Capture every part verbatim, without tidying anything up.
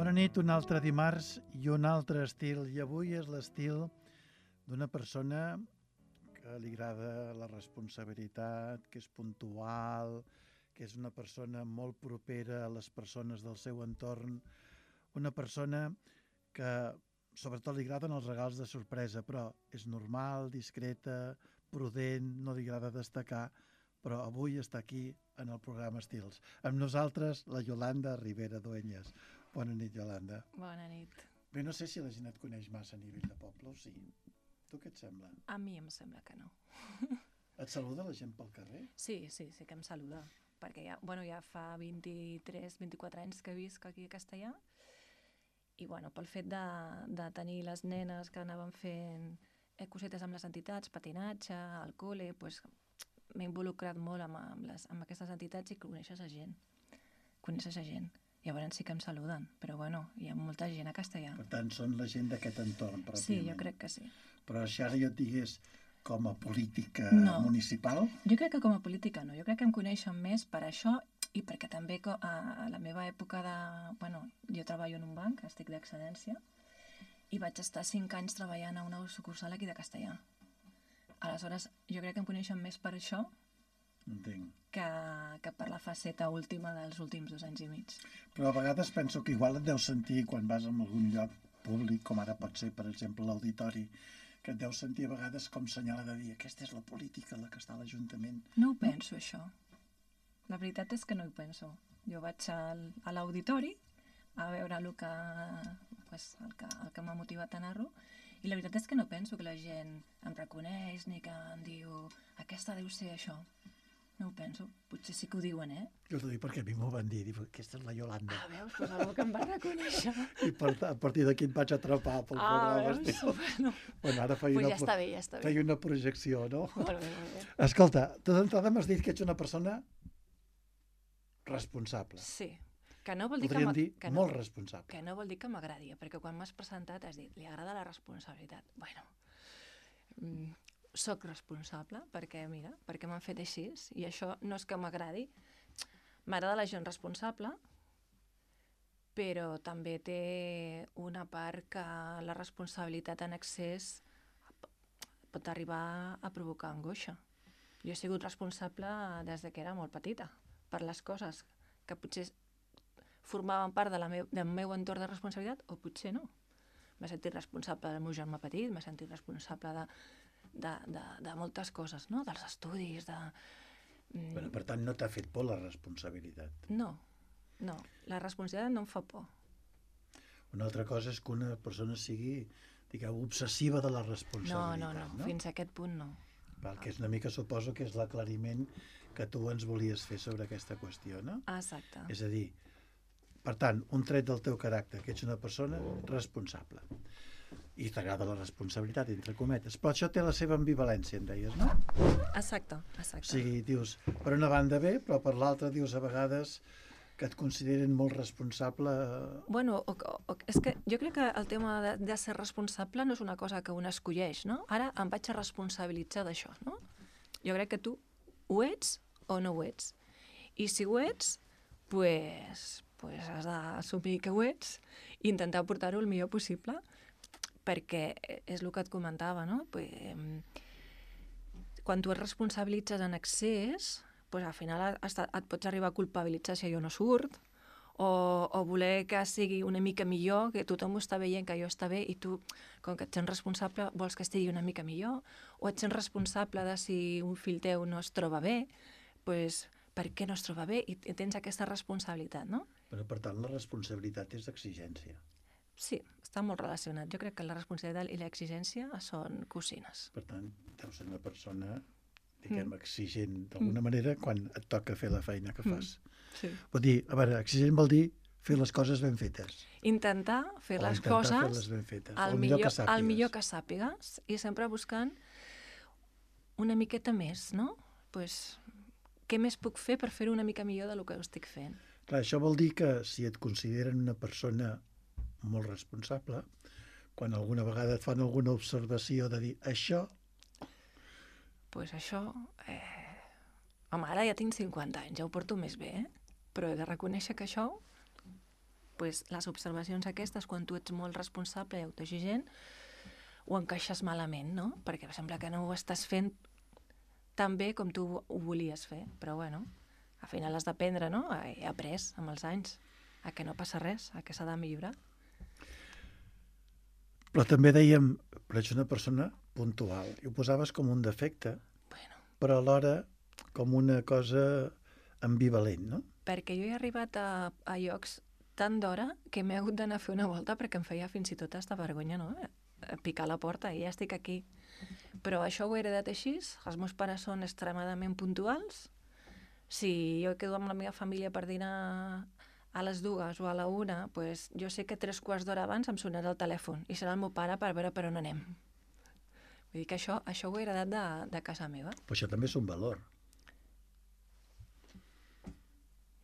Bona nit, un altre dimarts i un altre estil. I avui és l'estil d'una persona que li agrada la responsabilitat, que és puntual, que és una persona molt propera a les persones del seu entorn, una persona que sobretot li agraden els regals de sorpresa, però és normal, discreta, prudent, no li agrada destacar, però avui està aquí en el programa Estils. Amb nosaltres, la Yolanda Ribera Dueñas. Bona nit, Yolanda. Bona nit. Bé, no sé si la gent et coneix massa a nivell de poble o sí. Tu què et sembla? A mi em sembla que no. Et saluda la gent pel carrer? Sí, sí, sí que em saluda, perquè ja, bueno, ja fa vint-i-tres vint-i-quatre anys que visc aquí a Castellà, i bueno, pel fet de, de tenir les nenes que anaven fent eh, cosetes amb les entitats, patinatge, al col·le, pues, m'he involucrat molt amb, amb, les, amb aquestes entitats i coneixes a gent. Coneixes a gent. Llavors sí que em saluden, però bueno, hi ha molta gent a Castellà. Per tant, són la gent d'aquest entorn, pròpiament. Sí, jo crec que sí. Però si ara jo et digués com a política no. municipal... Jo crec que com a política no. Jo crec que em coneixen més per això i perquè també a la meva època de... Bueno, jo treballo en un banc, estic d'excedència, i vaig estar cinc anys treballant a una sucursal aquí de Castellà. Aleshores, jo crec que em coneixen més per això Entenc. que, que per la faceta última dels últims dos anys i mig. Però a vegades penso que igual et deus sentir quan vas a algun lloc públic, com ara pot ser, per exemple, l'auditori, que et deus sentir a vegades com senyala de dir aquesta és la política, la que està a l'Ajuntament. No ho penso, això. La veritat és que no ho penso. Jo vaig al, a l'auditori a veure el que, pues, el que, el que m'ha motivat a anar-lo, i la veritat és que no penso que la gent em reconeix ni que em diu aquesta deu ser això. No ho penso. Potser sí que ho diuen, eh? Jo t'ho dic perquè a mi m'ho van dir. Dic, aquesta és la Yolanda. Ah, veus? Doncs algú que em va reconèixer. I per, a partir d'aquí et vaig atrapar pel ah, programa. Veus? Bueno, bueno, ara feia, pues una, ja està bé, ja està bé. feia una projecció, no? Molt bé, molt bé. Escolta, tu d'entrada m'has dit que ets una persona responsable. Sí. Que no vol dir Podríem que dir que no, molt responsable. Que no vol dir que m'agradi, perquè quan m'has presentat has dit, li agrada la responsabilitat. Bueno, mm, soc responsable perquè, mira, perquè m'han fet així, i això no és que m'agradi. M'agrada la gent responsable, però també té una part que la responsabilitat en excés pot arribar a provocar angoixa. Jo he sigut responsable des de que era molt petita, per les coses que potser formaven part de la meu, del meu entorn de responsabilitat, o potser no. M'he sentit responsable del meu germà petit, m'he sentit responsable de De, de, de moltes coses, no? Dels estudis, de... Bueno, per tant, no t'ha fet por la responsabilitat? No, no. La responsabilitat no em fa por. Una altra cosa és que una persona sigui, digueu, obsessiva de la responsabilitat, no? No, no, no. Fins a aquest punt no. Val, que és una mica, suposo, que és l'aclariment que tu ens volies fer sobre aquesta qüestió, no? Exacte. És a dir, per tant, un tret del teu caràcter, que ets una persona responsable. I t'agrada la responsabilitat, entre cometes. Però això té la seva ambivalència, em deies, no? Exacte, exacte. O sigui, dius, per una banda bé, però per l'altra dius a vegades que et consideren molt responsable... Bueno, o, o, és que jo crec que el tema de, de ser responsable no és una cosa que un escolleix, no? Ara em vaig a responsabilitzar d'això, no? Jo crec que tu ho ets o no ho ets. I si ho ets, pues, pues has d'assumir que ho ets i intentar portar-ho el millor possible, perquè és el que et comentava, no? Pues, quan tu et responsabilitzes en excés, pues, al final et pots arribar a culpabilitzar si allò no surt, o, o voler que sigui una mica millor, que tothom ho està veient, que allò està bé, i tu, com que et sents responsable, vols que estigui una mica millor, o et sents responsable de si un fill teu no es troba bé, pues, per què no es troba bé? I tens aquesta responsabilitat, no? Però, per tant, la responsabilitat és exigència. Sí, està molt relacionat. Jo crec que la responsabilitat i l'exigència són cosines. Per tant, deus ser una persona, diguem, mm. exigent d'alguna mm. manera quan et toca fer la feina que fas. Mm. Sí. Vol dir, a veure, exigent vol dir fer les coses ben fetes. Intentar fer o les intentar coses fer-les ben fetes. al, millor, millor al millor que sàpigues, i sempre buscant una miqueta més, no? Pues, què més puc fer per fer-ho una mica millor del que ho estic fent? Clar, això vol dir que si et consideren una persona molt responsable, quan alguna vegada et fan alguna observació de dir això... Doncs pues això... Eh... Home, ara ja tinc cinquanta anys, ja ho porto més bé, eh? Però he de reconèixer que això pues, les observacions aquestes, quan tu ets molt responsable i autoexigent, ho encaixes malament, no? Perquè sembla que no ho estàs fent tan bé com tu ho volies fer. Però, bueno, al final has d'aprendre, no? He après amb els anys a que no passa res, a que s'ha de millorar. Però també dèiem, però ets una persona puntual. I ho posaves com un defecte, bueno. però alhora com una cosa ambivalent, no? Perquè jo he arribat a, a llocs tan d'hora que m'he hagut d'anar a fer una volta perquè em feia fins i tot aquesta vergonya, no? A picar la porta i ja estic aquí. Però això ho he heredat així, els meus pares són extremadament puntuals. Si jo quedo amb la meva família per dinar a les dues o a la una, pues jo sé que tres quarts d'hora abans em sonarà el telèfon i serà el meu pare per veure per on anem. Vull dir que això, això ho he heredat de, de casa meva. Però això també és un valor.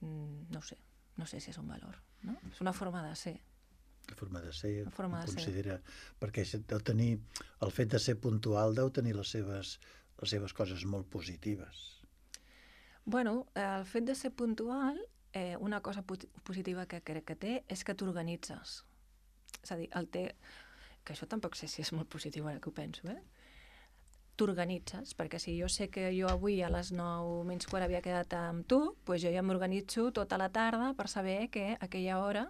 Mm, no ho sé, no sé si és un valor, no? És una forma de ser. Una forma de ser, una forma de considera... Ser. Perquè deu tenir, el fet de ser puntual deu tenir les seves, les seves coses molt positives. Bueno, el fet de ser puntual, eh, una cosa positiva que crec que té és que t'organitzes. És a dir, el té... que això tampoc sé si és molt positiu ara que ho penso, eh? T'organitzes, perquè si jo sé que jo avui a les nou menys quart havia quedat amb tu, doncs jo ja m'organitzo tota la tarda per saber que a aquella hora...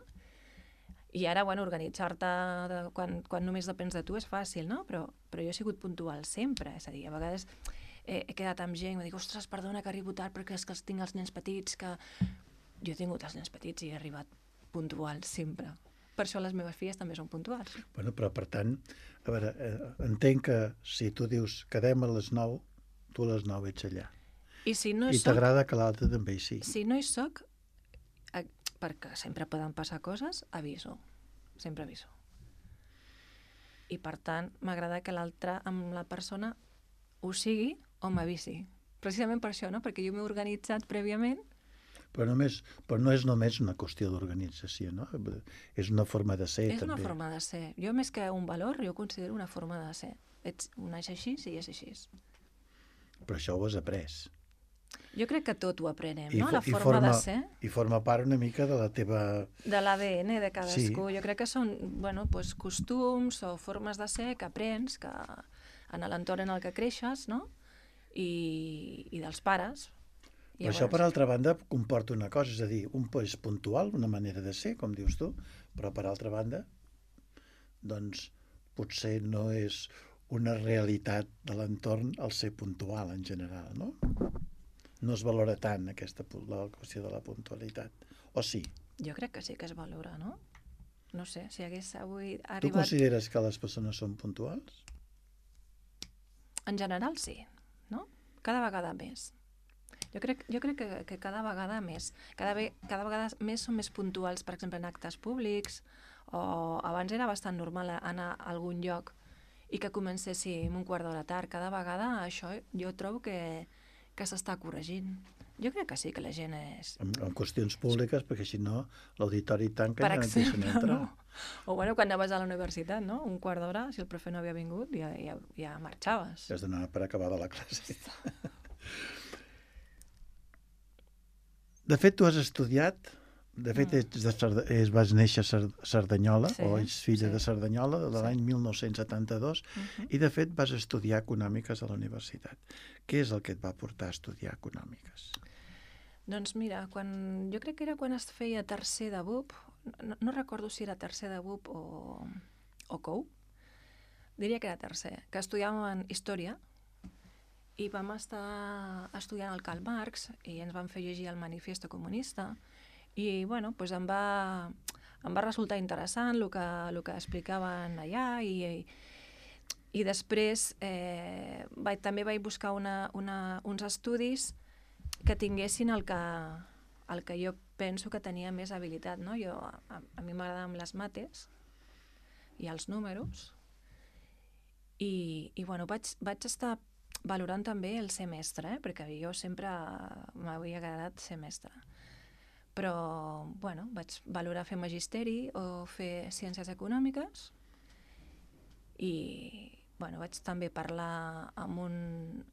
I ara, bueno, organitzar-te quan, quan només depens de tu és fàcil, no? Però, però jo he sigut puntual sempre, és a dir, a vegades he, he quedat amb gent i dic, ostres, perdona que arribo tard perquè és que els tinc els nens petits, que... Jo he tingut els nens petits i he arribat puntual sempre. Per això les meves filles també són puntuals. Bueno, però per tant, a veure, eh, entenc que si tu dius quedem a les nou, tu a les nou ets allà. I si no hi I soc... t'agrada que l'altre també hi sigui. Si no hi soc, eh, perquè sempre poden passar coses, aviso. Sempre aviso. I per tant, m'agrada que l'altre amb la persona ho sigui o m'avisi. Precisament per això, no? Perquè jo m'he organitzat prèviament. Però, només, però no és només una qüestió d'organització, no? És una forma de ser, és també. És una forma de ser. Jo, més que un valor, jo considero una forma de ser. Ets, un és així i és així. Però això ho has après. Jo crec que tot ho aprenem, I, no? La i forma, forma de ser. I forma part una mica de la teva... De l'A D N de cadascú. Sí. Jo crec que són, bueno, pues, costums o formes de ser que aprens que en l'entorn en el que creixes, no? I, i dels pares. Però això, per altra banda, comporta una cosa, és a dir, un és puntual, una manera de ser, com dius tu, però per altra banda, doncs, potser no és una realitat de l'entorn el ser puntual en general, no? No es valora tant aquesta, la qüestió de la puntualitat, o sí? Jo crec que sí que es valora, no? No sé, si hagués avui arribat... Tu consideres que les persones són puntuals? En general, sí, no? Cada vegada més. Jo crec, jo crec que, que cada vegada més. Cada, ve, cada vegada més són més puntuals, per exemple, en actes públics, o abans era bastant normal anar a algun lloc i que comencéssim un quart d'hora tard. Cada vegada això jo trobo que, que s'està corregint. Jo crec que sí, que la gent és... En, en qüestions públiques, perquè si no l'auditori tanca per i no et deixen entrar. No? O bueno, quan anaves a la universitat, no? Un quart d'hora, si el profe no havia vingut, ja, ja, ja marxaves. Ja has d'anar per acabar de la classe. De fet, tu has estudiat, de fet, ets de Cerda, és, vas néixer a Cerdanyola, sí, o ets filla sí. de Cerdanyola, de sí. l'any mil nou-cents setanta-dos, uh-huh. i de fet vas estudiar econòmiques a la universitat. Què és el que et va portar a estudiar econòmiques? Doncs mira, quan, jo crec que era quan es feia tercer de B U P, no, no recordo si era tercer de B U P o, o C O U, diria que era tercer, que estudiàvem història, i vam estar estudiant el Karl Marx i ens van fer llegir el Manifiesto Comunista i bueno, doncs em, va, em va resultar interessant el que, el que explicaven allà i, i, i després eh, vaig, també vaig buscar una, una, uns estudis que tinguessin el que, el que jo penso que tenia més habilitat, no? Jo, a, a mi m'agraden les mates i els números i, i bueno, vaig, vaig estar valorant també el ser mestre, eh? Perquè jo sempre m'havia agradat ser mestre. Però, bueno, vaig valorar fer magisteri o fer ciències econòmiques i, bueno, vaig també parlar amb un,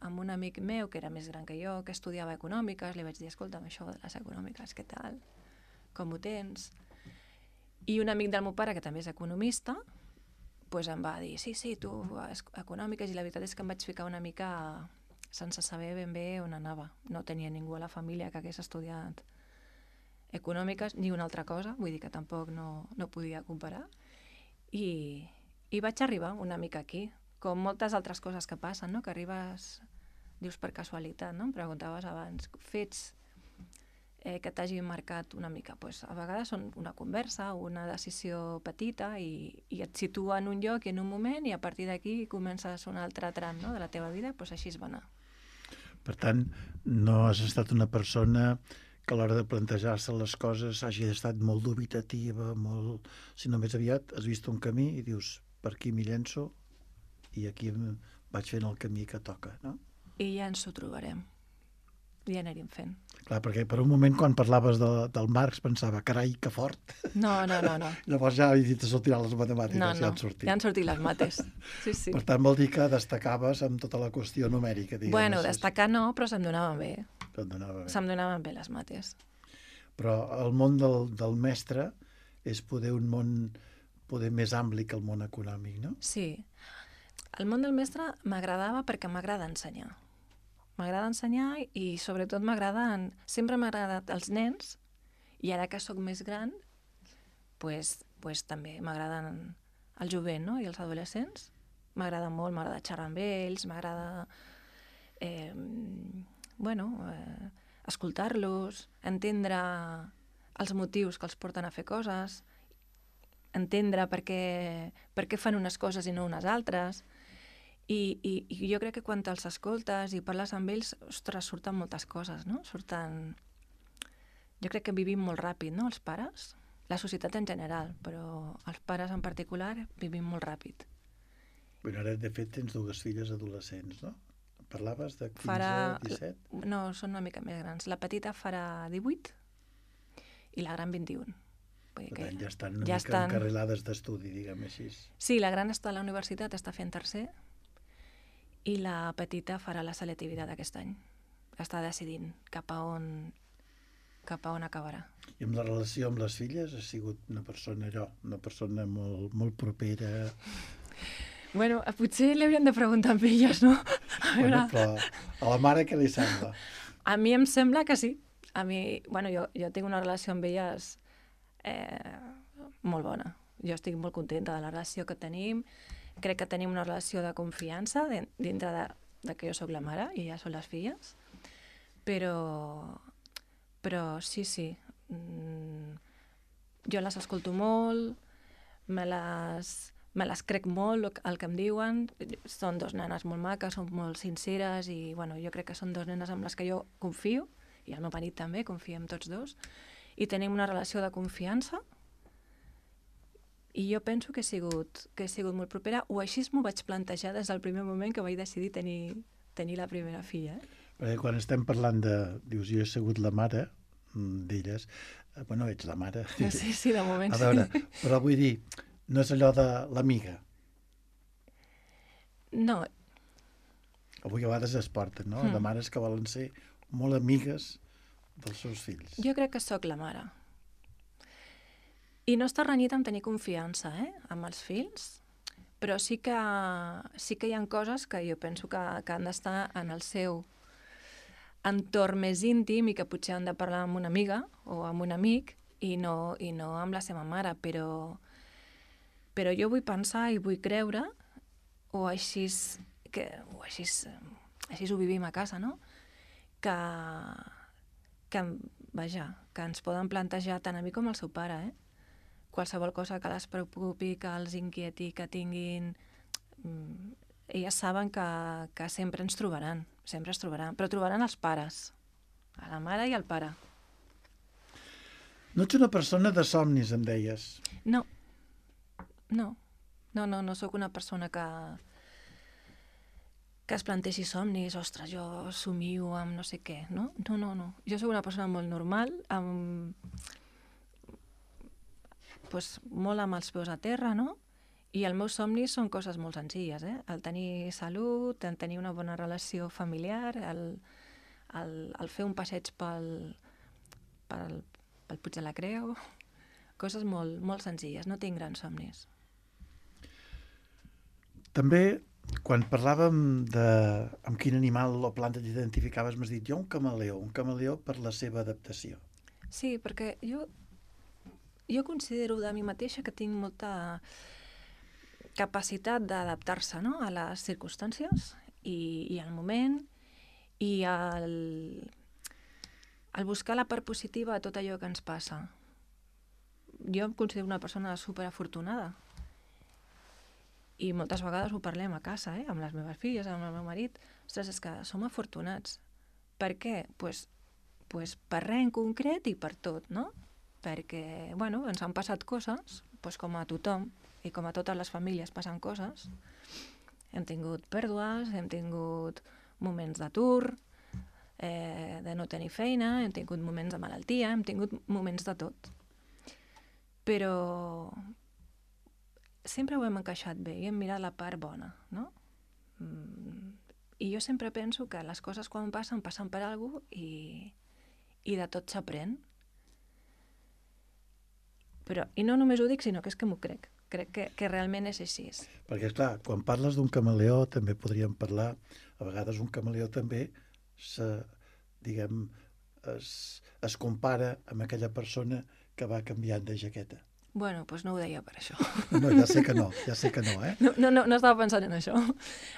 amb un amic meu que era més gran que jo, que estudiava econòmiques, li vaig dir, escolta'm, això de les econòmiques, què tal? Com ho tens? I un amic del meu pare, que també és economista, pues em va dir, sí, sí, tu, econòmiques, i la veritat és que em vaig ficar una mica sense saber ben bé on anava. No tenia ningú a la família que hagués estudiat econòmiques ni una altra cosa, vull dir que tampoc no, no podia comparar. I, I vaig arribar una mica aquí, com moltes altres coses que passen, no? Que arribes, dius per casualitat, no? Em preguntaves abans, fets eh, que t'hagin marcat una mica. Pues, a vegades són una conversa, una decisió petita i, i et situa en un lloc i en un moment i a partir d'aquí comences un altre tram, no? De la teva vida, pues així es va anar. Per tant, no has estat una persona que a l'hora de plantejar-se les coses hagi estat molt dubitativa, molt... sinó més aviat has vist un camí i dius, per aquí m'hi llenço i aquí vaig fent el camí que toca, no? I ja ens ho trobarem. Ja anirem fent. Clar, perquè per un moment quan parlaves de, del Marx pensava, carai, que fort. No, no, no. no. Llavors ja he dit, sortiran les matemàtiques, no, no. ja han sortit. Ja han sortit les mates. Sí, sí. Per tant, vol dir que destacaves amb tota la qüestió numèrica, diguem. Bueno, destacar no, però se'm donaven bé. Se'm donava bé. Se'm donaven bé les mates. Però el món del, del mestre és poder un món poder més ampli que el món econòmic, no? Sí. El món del mestre m'agradava perquè m'agrada ensenyar. M'agrada ensenyar i sobretot m'agrada... En... Sempre m'ha agradat els nens i ara que sóc més gran pues, pues, també m'agraden el jovent, no? I els adolescents. M'agrada molt, m'agrada xerrar amb ells, m'agrada eh, bueno, eh, escoltar-los, entendre els motius que els porten a fer coses, entendre per què, per què fan unes coses i no unes altres. I, i, i jo crec que quan te'ls escoltes i parles amb ells, ostres, surten moltes coses, no? Surten... Jo crec que vivim molt ràpid, no?, els pares. La societat en general, però els pares en particular vivim molt ràpid. Bueno, ara, de fet, tens dues filles adolescents, no? Parlaves de quinze, farà... disset? No, són una mica més grans. La petita farà divuit i la gran vint-i-un. Per tant, ja estan una ja mica estan... encarrilades d'estudi, diguem així. Sí, la gran està a la universitat, està fent tercer, i la petita farà la selectivitat aquest any. Està decidint cap a on, cap a on acabarà. I amb la relació amb les filles has sigut una persona, allò, una persona molt, molt propera... Bueno, potser li hauríem de preguntar amb elles, no? A bueno, però a la mare què li sembla? A mi em sembla que sí. A mi, bueno, jo, jo tinc una relació amb elles eh, molt bona. Jo estic molt contenta de la relació que tenim. Crec que tenim una relació de confiança dintre de, de que jo sóc la mare i ja són les filles. Però, però sí, sí. Mm, jo les escolto molt, me les... me les crec molt el que em diuen, són dos nenes molt maques, són molt sinceres i bueno, jo crec que són dos nenes amb les que jo confio, i el meu marit també, confiem tots dos, i tenim una relació de confiança i jo penso que he sigut, que he sigut molt propera, o així m'ho vaig plantejar des del primer moment que vaig decidir tenir, tenir la primera filla. Eh? Perquè quan estem parlant de... Dius, jo he sigut la mare d'elles, bueno, ets la mare. Sí, sí, de moment sí. A veure, però vull dir, no és allò de l'amiga. No. Avui a vegades es porten, no? Mm. De mares que volen ser molt amigues dels seus fills. Jo crec que sóc la mare. I no està renyit amb tenir confiança, eh? Amb els fills, però sí que, sí que hi ha coses que jo penso que, que han d'estar en el seu entorn més íntim i que potser han de parlar amb una amiga o amb un amic i no, i no amb la seva mare, però... Però jo vull pensar i vull creure, o així, que, o així, així ho vivim a casa, no? Que, que, vaja, que ens poden plantejar tant a mi com al seu pare, eh? Qualsevol cosa que les preocupi, que els inquieti, que tinguin... Elles saben que, que sempre ens trobaran, sempre ens trobaran, però trobaran els pares, a la mare i al pare. No ets una persona de somnis, em deies. No. No, no, no, no sóc una persona que, que es planteixi somnis, ostres, jo somio amb no sé què, no? No, no, no. Jo sóc una persona molt normal, amb... pues, molt amb els peus a terra, no? I els meus somnis són coses molt senzilles, eh? El tenir salut, el tenir una bona relació familiar, el, el, el fer un passeig pel, pel, pel Puig de la Creu, coses molt, molt senzilles, no tinc grans somnis. També, quan parlàvem de amb quin animal o planta t'identificaves, m'has dit jo un camaleó, un camaleó per la seva adaptació. Sí, perquè jo, jo considero de mi mateixa que tinc molta capacitat d'adaptar-se, no?, a les circumstàncies i, i al moment i al, al buscar la part positiva a tot allò que ens passa. Jo em considero una persona superafortunada i moltes vegades ho parlem a casa, eh? Amb les meves filles, amb el meu marit. Ostres, és que som afortunats. Per què? Pues, pues per res en concret i per tot, no? Perquè, bueno, ens han passat coses, pues com a tothom, i com a totes les famílies passen coses. Hem tingut pèrdues, hem tingut moments d'atur, eh, de no tenir feina, hem tingut moments de malaltia, hem tingut moments de tot. Però sempre ho hem encaixat bé i hem mirat la part bona, no? Mm, I jo sempre penso que les coses quan passen, passen per alguna cosa i, i de tot s'aprèn. Però, i no només ho dic, sinó que és que m'ho crec. Crec que, que realment és així. Perquè, esclar, quan parles d'un camaleó també podríem parlar, a vegades un camaleó també se, diguem, es, es compara amb aquella persona que va canviant de jaqueta. Bueno, doncs no ho deia per això. No, ja sé que no, ja sé que no, eh? No, no, no, no estava pensant en això.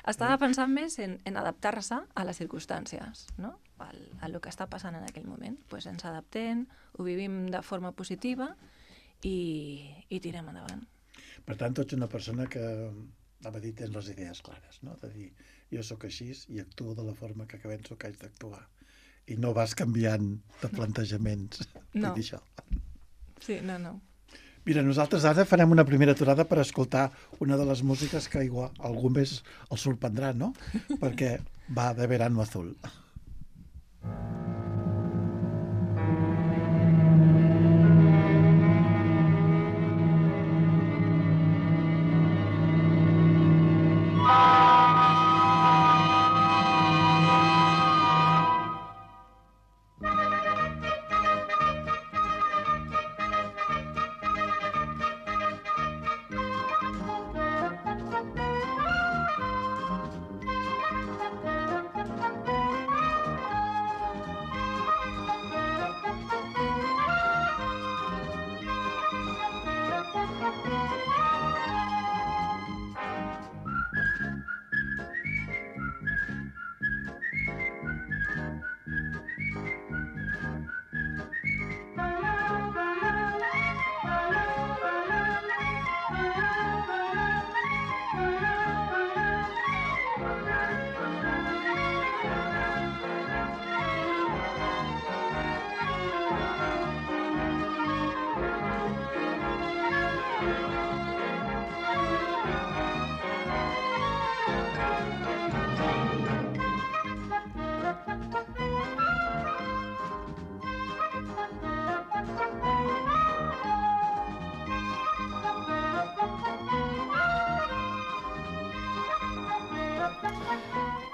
Estava pensant més en, en adaptar-se a les circumstàncies, no? Al, a lo que està passant en aquell moment. Pues ens adaptem, ho vivim de forma positiva i, i tirem endavant. Per tant, tu ets una persona que, anava a dir, tens les idees clares, no? De dir, jo sóc així i actuo de la forma que penso que haig d'actuar. I no vas canviant de plantejaments. No. Vull dir això. Sí, no, no. Mira, nosaltres ara farem una primera aturada per escoltar una de les músiques que igual algú més el sorprendrà, no? Perquè va de Verano Azul.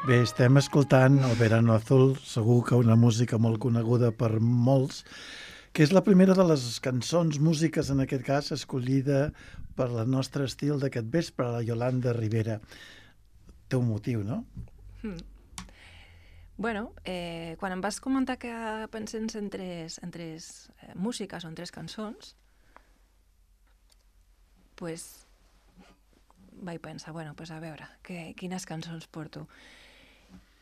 Bé, estem escoltant el Verano Azul, segur que una música molt coneguda per molts, que és la primera de les cançons, músiques en aquest cas, escollida per el nostre estil d'aquest vespre, la Yolanda Rivera. Té un motiu, no? Hmm. Bueno, eh, quan em vas comentar que pensés en tres, en tres eh, músiques o en tres cançons, pues vaig pensar, bueno, pues a veure, que, quines cançons porto.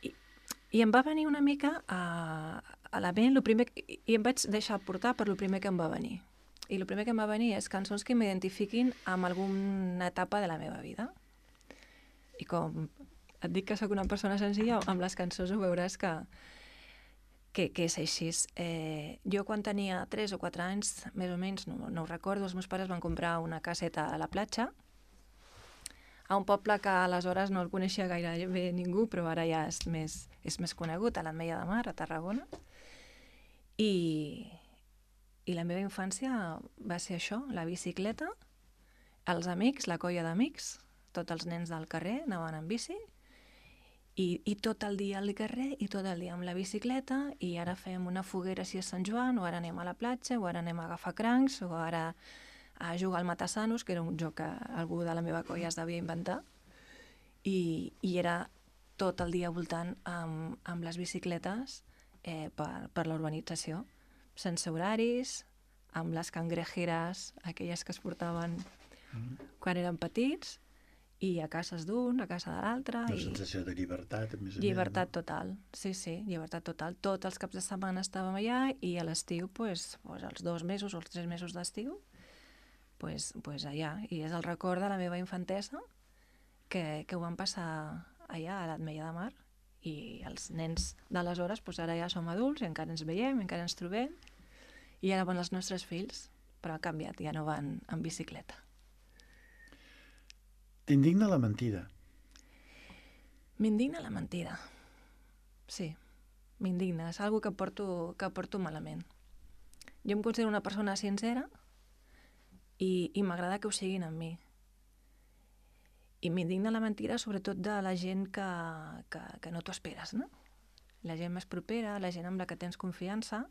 I, i em va venir una mica a, a la ment, lo primer, i, i em vaig deixar portar per lo primer que em va venir. I el primer que em va venir és cançons que m'identifiquin amb alguna etapa de la meva vida. I com et dic que sóc una persona senzilla, amb les cançons ho veuràs que, que, que és així. Eh, jo quan tenia tres o quatre anys, més o menys, no, no ho recordo, els meus pares van comprar una caseta a la platja, a un poble que aleshores no el coneixia gaire bé ningú, però ara ja és més, és més conegut, a l'Ametlla de Mar, a Tarragona. I, I la meva infància va ser això, la bicicleta, els amics, la colla d'amics, tots els nens del carrer anaven en bici, I, i tot el dia al carrer i tot el dia amb la bicicleta, i ara fem una foguera si és Sant Joan, o ara anem a la platja, o ara anem a agafar crancs, o ara a jugar al Matasanos, que era un joc que algú de la meva colla es devia inventar, i, i era tot el dia voltant amb, amb les bicicletes eh, per, per la urbanització, sense horaris, amb les cangrejeres, aquelles que es portaven mm. quan eren petits, i a cases d'un, a casa de l'altre. Una i... sensació de llibertat, a més a més. Llibertat total, sí, sí, llibertat total. Tots els caps de setmana estàvem allà, i a l'estiu, pues, pues, els dos mesos o els tres mesos d'estiu, pues, pues allà. I és el record de la meva infantesa que, que ho vam passar allà a l'Ametlla de Mar, i els nens d'aleshores, pues, ara ja som adults i encara ens veiem, encara ens trobem, i ara van els nostres fills, però ha canviat, ja no van en bicicleta. T'indigna la mentida? M'indigna la mentida. Sí, m'indigna. És una cosa que porto, que porto malament. Jo em considero una persona sincera i, i m'agrada que ho siguin amb mi. I m'indigna la mentida sobretot de la gent que, que, que no t'ho esperes, no? La gent més propera, la gent amb la que tens confiança,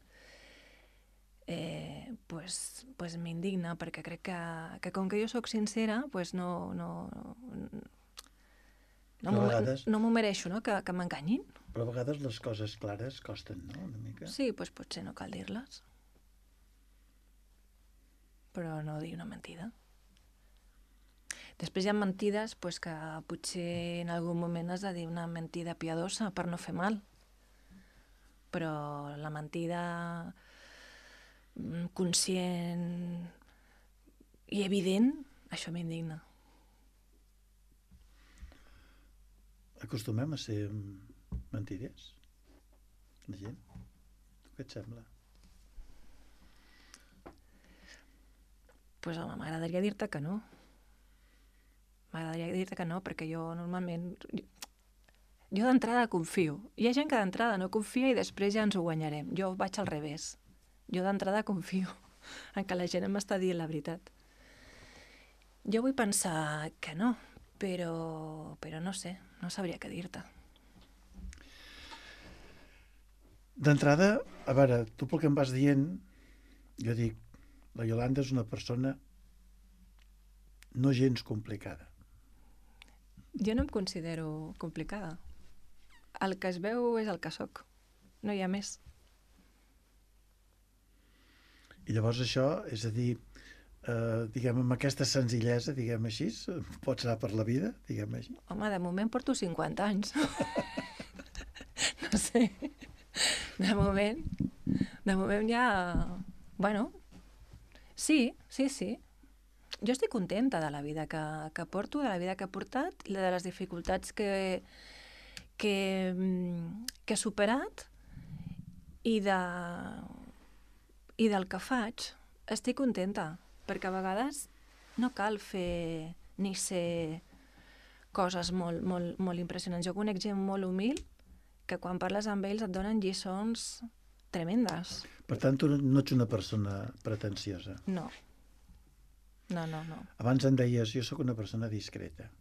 eh, pues, pues m'indigna, perquè crec que, que com que jo sóc sincera, pues no, no, no, m'ho vegades... no m'ho mereixo, no? Que, que m'enganyin. Però a vegades les coses clares costen, no?, una mica. Sí, pues potser no cal dir-les. Però no dir una mentida. Després hi ha mentides pues, que potser en algun moment has de dir una mentida piadosa per no fer mal. Però la mentida conscient i evident, això m'indigna. Acostumem a ser mentiders? La gent? Tu què et sembla? Pues home, m'agradaria dir-te que no. M'agradaria dir-te que no, perquè jo normalment... Jo, jo d'entrada confio. Hi ha gent que d'entrada no confia i després ja ens ho guanyarem. Jo vaig al revés. Jo d'entrada confio en que la gent m'està dient la veritat. Jo vull pensar que no, però, però no sé, no sabria què dir-te. D'entrada, a veure, tu pel que em vas dient, jo dic, la Iolanda és una persona no gens complicada. Jo no em considero complicada. El que es veu és el que sóc. No hi ha més. I llavors això, és a dir, eh, diguem, amb aquesta senzillesa, diguem així, pots anar per la vida, diguem així? Home, de moment porto cinquanta anys. No sé. De moment, de moment ja... Bueno, sí, sí, sí. Jo estic contenta de la vida que, que porto, de la vida que he portat, de les dificultats que, que, que he superat i de... i del que faig. Estic contenta, perquè a vegades no cal fer ni ser coses molt, molt, molt impressionants. Jo conec gent molt humil que quan parles amb ells et donen lliçons tremendes. Per tant, tu no ets una persona pretensiosa. No. No, no, no. Abans em deies, jo sóc una persona discreta.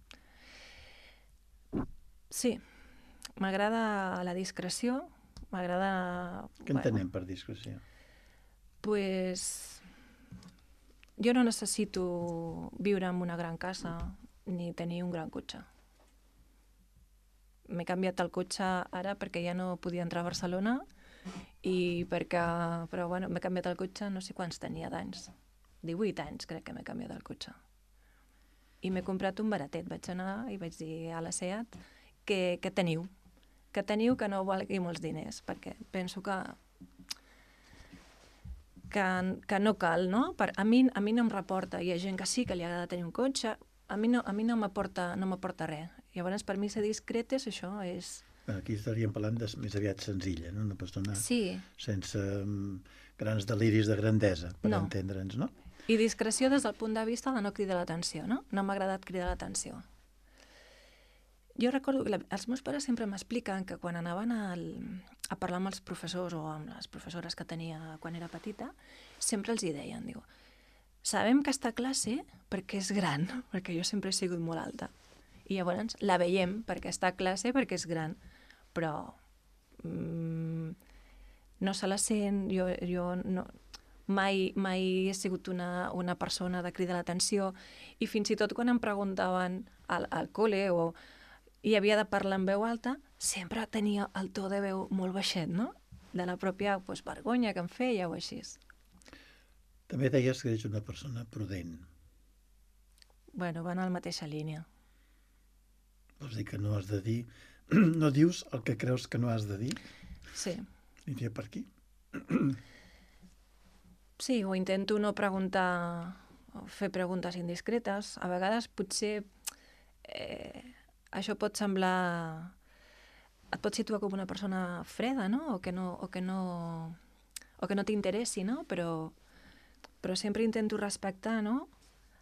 Sí. M'agrada la discreció, m'agrada... Què entenem per discreció? Pues... Jo no necessito viure en una gran casa ni tenir un gran cotxe. M'he canviat el cotxe ara perquè ja no podia entrar a Barcelona i perquè... Però bueno, m'he canviat el cotxe no sé quants tenia d'anys. divuit anys crec que m'he canviat el cotxe. I m'he comprat un baratet. Vaig anar i vaig dir a la SEAT que, que teniu. Que teniu que no valgui molts diners, perquè penso que que, que no cal, no? Per, a, mi, a mi no em reporta. Hi ha gent que sí, que li agrada tenir un cotxe. A mi no, a mi no m'aporta no m'aporta res. Llavors, per mi ser discret és això, és... Aquí estaríem parlant de més aviat senzilla, no? Una persona sí. sense um, grans deliris de grandesa, per no. entendre'ns, no? I discreció des del punt de vista de no cridar l'atenció, no? No m'ha agradat cridar l'atenció. Jo recordo que la, els meus pares sempre m'expliquen que quan anaven al, a parlar amb els professors o amb les professores que tenia quan era petita, sempre els hi deien, diu, sabem que està a classe perquè és gran, perquè jo sempre he sigut molt alta, I llavors la veiem perquè està a classe, perquè és gran, però mm, no se la sent, jo, jo no, mai, mai he sigut una, una persona de cridar l'atenció, i fins i tot quan em preguntaven al, al col·le o i havia de parlar en veu alta, sempre tenia el to de veu molt baixet, no? De la pròpia pues, vergonya que em feia o així. També deies que ets una persona prudent. Bueno, van a la mateixa línia. Vols dir que no has de dir... No dius el que creus que no has de dir? Sí. I dir per aquí? Sí, o intento no preguntar, o fer preguntes indiscretes. A vegades potser eh, això pot semblar... Et pot situar com una persona freda, no? O que no, o que no, o que no t'interessi, no? Però, però sempre intento respectar, no?,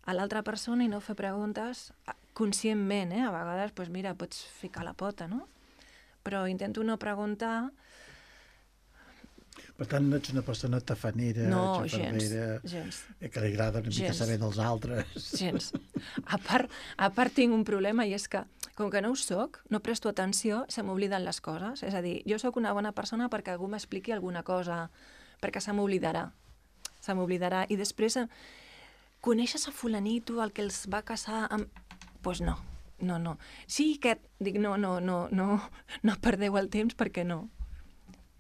a l'altra persona i no fer preguntes conscientment, eh? A vegades, doncs mira, pots ficar la pota, no? Però intento no preguntar... Per tant, no ets una persona tafanera, no, xafardera, gens, gens. que li agrada una mica saber dels altres. Gens. A part, a part tinc un problema, i és que, com que no ho soc, no presto atenció, se m'obliden les coses. És a dir, jo sóc una bona persona perquè algú m'expliqui alguna cosa, perquè se m'oblidarà. Se m'oblidarà. I després, coneixes a fulanito, el que els va casar amb... Doncs pues no, no, no. Sí que... Dic, no, no, no, no, no perdeu el temps perquè no.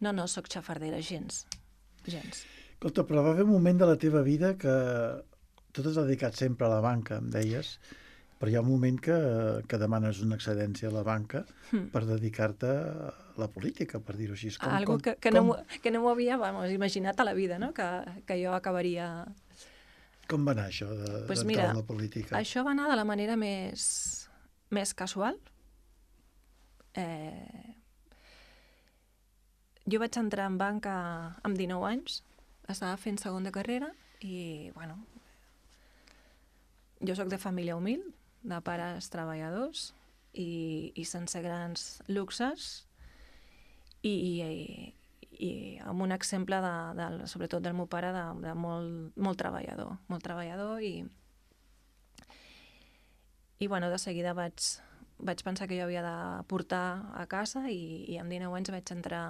No, no, sóc xafardera, gens. Gens. Escolta, però va haver un moment de la teva vida que tu t'has dedicat sempre a la banca, em deies, però hi ha un moment que, que demanes una excedència a la banca mm. per dedicar-te a la política, per dir-ho així. Com, Algo com, que, que, com... no, que no m'ho havia vamos, imaginat a la vida, no? Que, que jo acabaria... Com va anar això de, pues d'entrar mira, en la política? Això va anar de la manera més, més casual. Eh, jo vaig entrar en banca amb dinou anys, estava fent segon de carrera i, bueno, jo sóc de família humil, de pares treballadors i, i sense grans luxes i, i, i amb un exemple, de, de, sobretot del meu pare, de, de molt, molt treballador, molt treballador i, i bueno, de seguida vaig, vaig pensar que jo havia de portar a casa i, i amb dinou anys vaig entrar